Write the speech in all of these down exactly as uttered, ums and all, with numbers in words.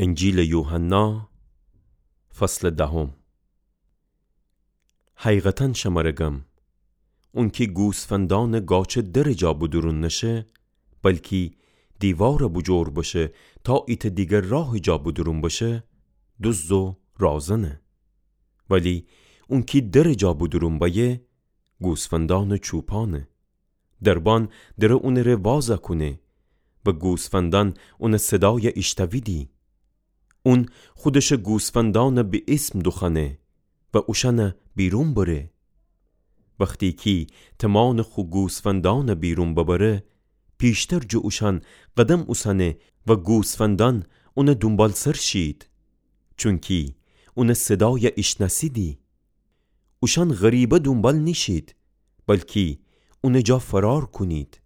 انجیلٚ یوحنا، فصلٚ دهم. حقیقتاً شمره گم، اونکی گوسفندانٚ گاچه درٚ جا بودورون نشه، بلکی دیوارَ بوجور بشه تا ایتأ دیگر راهٚ جا بودورون بشه، دوزد و رازنه. ولی اونکی درٚ جا بودورون بأیه، گوسفندانٚ چوپانه. دربان دره اونٚ ره وازَ کونه و گوسفندان اونٚ صدایَ ایشتأویدی. اون خودشٚ گوسفندانَ به اسم دوخوأنه و اوشأنَ بیرون بره. وختی کی تمانٚ خو گوسفندانَ بیرون ببره، پیشتر جٚه اوشأن قدم اوسأنه و گوسفندان اونٚ دونبالسر شید، چونکی اونٚ صدایَ ایشنأسیدی. اوشأن غریبه دونبال نیشید، بلکی اونٚ جا فرار کونید،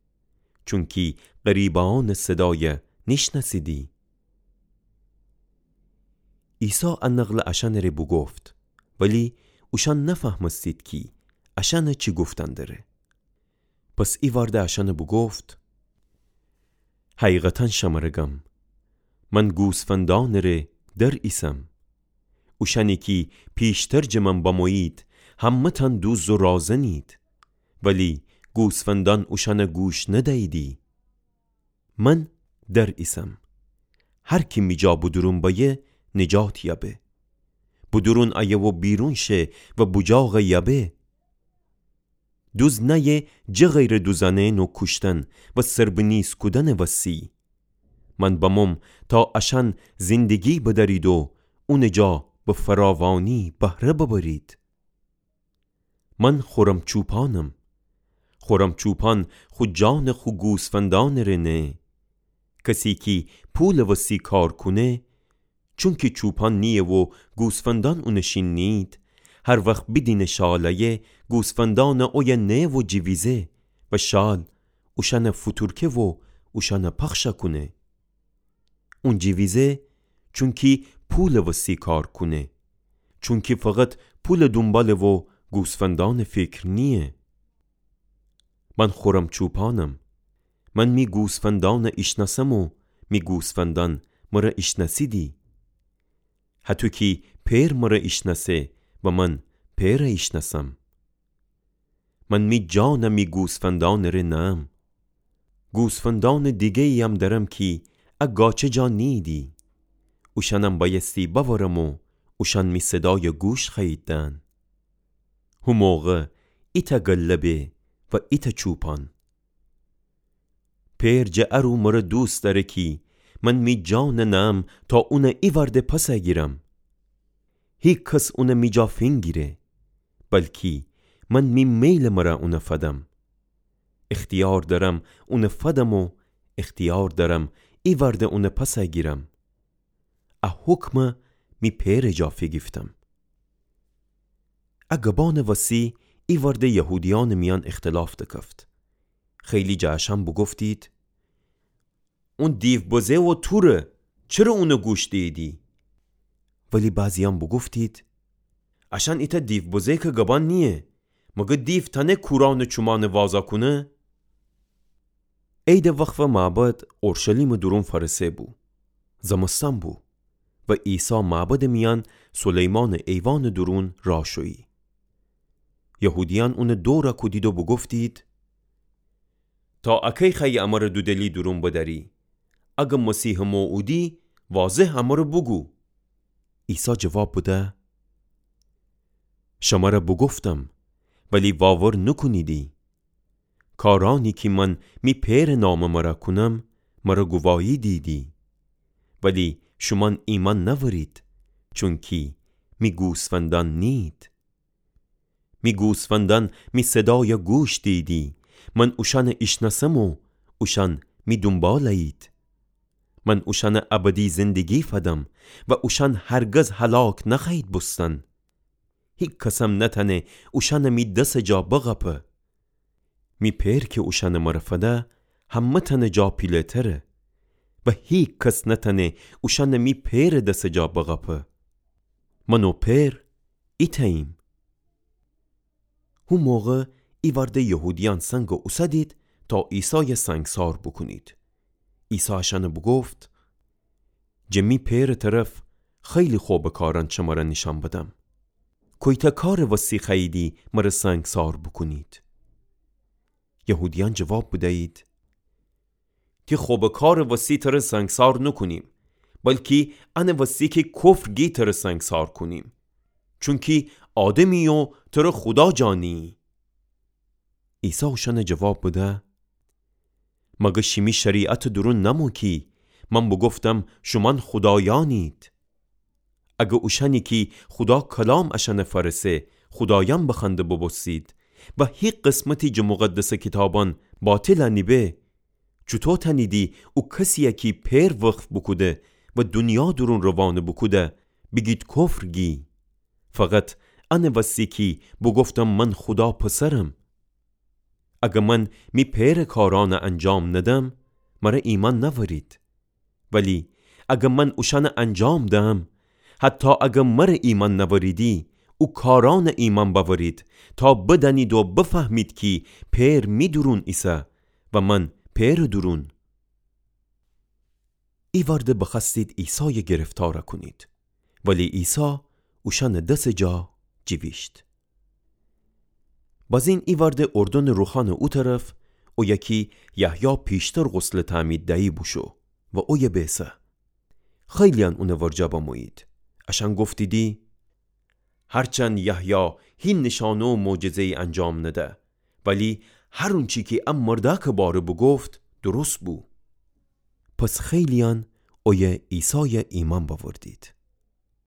چونکی غریبه‌یأنٚ صدایَ نیشنأسیدی. عیسی ا نقلَ اشأنٚ ره بوگفت، ولی اوشأن نفهمستید کی اشأنَ چی گفتن دره. پس ایوأرده اشأنَ بوگفت: حقیقتاً شمره گم، من گوسفندانٚ ره در ایسم. اوشأنی کی پیشتر جٚه من بمویید، همه‌تأن دوزد و رازنید، ولی گوسفندان اوشأنَ گوش ندییدی. من در ایسم. هر کی می جا بودورون بأیه، نجات یأبه. بودورون أیه و بیرون شه و بوجاغَ یأبه. دوزد نأیه جٚه غیرٚ دوزأنئن و کوشتن و سربه‌نیز کودنٚ وسی. من بموم تا اشأن زندگی بدأرید و اونٚ جا به فراوانی بهره ببرید. من خورم چوپانم. خورم چوپان خو جانَ خو گوسفندانٚ ره نهه. کسی کی پولٚ وسی کار کونه، چونکی چوپان نییه و گوسفندان اونٚ شین نیید، هر وخت بیدینه شال أیه، گوسفندانَ اویه نهه و جیویزه و شال اوشأنَ فوتورکه و اوشأنَ پخش کونه. اون جیویزه، چونکی پولٚ وسی کار کونه. چونکی فقط پولٚ دونباله و گوسفندانٚ فیکر نییه. من خورم چوپانم. من می گوسفندانَ ایشنأسم و می گوسفندان مرَ ایشنأسیدی. هطو کی پئر مرَ ایشنأسه و من پئرَ ایشنأسم. من می جانَ می گوسفندانٚ ره نهم. گوسفندانٚ دیگه‌ییم دأرم کی ا گاچه جا نیییدی. اوشأنم بأیستی بأورم و اوشأن می صدایَ گوش خوأیید دهن. هو موقع ایتأ گله به و ایتأ چوپان. پئر جٚه ارو مرَ دوست دأره کی من می جانَ نهم تا اونَ ایوأرده پسَ گیرم. هیکس اونَ می جا فینگیره، بلکی من می میلٚ مرَ اونَ فدم. اختیار دأرم اونَ فدم و اختیار دأرم ایوأرده اونَ پسَ گیرم. ا حکمَ می پئرٚ جا فیگیفتم. ا گبانٚ وسی ایوأرده یهودیأنٚ میأن اختلاف دکفت. خیلی جٚه اشأن بوگفتید: اون دیوبزه و توره، چره اونَ گوش دییدی؟ ولی بعضیأن بوگفتید: اشأن ایتأ دیوبزه کی گبان نییه، مگر دیو تأنه کورأنٚ چومأنَ وازَ کونه؟ عیدٚ وقفٚ معبد اورشلیمٚ دورون فأرسه بو. زمستأن بو و عیسی معبدٚ میأن سلیمانٚ ایوانٚ دورون راه شویی. یهودیأن اونَ دورَ کودید و بوگفتید: تا اکی خوأیی امرَ دودلی دورون بدأری؟ اگر مسیحٚ موعودی، واضح امرَ بوگو. عیسی جواب بده: شمرَ بوگفتم، ولی واور نوکونیدی. کارأنی کی من می پئرٚ نامٚ مرَ کونم، مرَ گوواهی دییدی. ولی شومأن ایمأن نأورید، چونکی می گوسفندأن نیید. می گوسفندأن می صدایَ گوش دییدی. من اوشأنَ ایشنأسم و اوشأن می دونبال أیید. من اوشأنَ ابدی زندگی فدم و اوشأن هرگز هلاک نخوأیید بوستن. هیکسم نتأنه اوشأنَ می دسٚ جا بقاپه. می پئر کی اوشأنَ مرَ فده، همه‌تأنٚ جا پیله‌تره و هیکس نتأنه اوشأنَ می پئرٚ دسٚ جا بقاپه. من و پئر ایتأییم. هو موقع ایوأرده یهودیأن سنگَ اوسدید تا عیسایَ سنگسار بوکونید. عیسی اشأنَ بوگفت: جٚه می پئرٚ طرف خیلی خبٚ کارأن شمره نیشأن بدم. کویتأ کارٚ وستی خوأییدی مره سنگسار بوکونید؟ یهودیأن جواب بدیید: تی خبٚ کارٚ وستی تره سنگسار نوکونیم، بلکی انٚ وستی کی کفر گی تره سنگسار کونیم، چونکی آدمی و تره خودا جا نییی. عیسی اوشأنه جواب بده: مگر شیمی شریعتٚ دورون نأمو کی من بوگفتم شومأن خودایأنید؟ اگر اوشأنی کی خودا کلام اشأنه فأرسه خودایأن بخوأنده بوبوستید و هی قسمتی جٚه مقدسٚ کیتابأن باطل نیبه، چوطو تأنیدی او کسیی کی پئر وقف بوکوده و دونیا دورون روانه بوکوده بیگید کفر گی، فقط انٚ وستی کی بوگفتم من خودا پسرم؟ اگر من می پئرٚ کارأنه انجام ندم، مره ایمأن نأورید. ولی اگر من اوشأنه انجام دهم، حتی اگر مره ایمأن نأوریدی، او کارأنه ایمأن بأورید، تا بدأنید و بفهمید کی پئر می دورون ایسه و من پئرٚ دورون. ایوأرده بخوأستید عیسای گرفتار کونید، ولی عیسی اوشأنٚ دسٚ جا جیویشت. بازین ایوأرده اردنٚ روخانٚ او طرف، اویه کی یحیی پیشتر غسلٚ تعمید دیی بوشو و اویه بیسه. خیلییأن اونٚ ورجه بمویید. اشأن گفتیدی: هرچند یحیی هی نیشأنه و معجزه‌یی انجام نده، ولی هر اونچی کی ا مردأکٚ باره بوگفت، درست بو. پس خیلییأن اویه عیسای ایمأن بأوردید.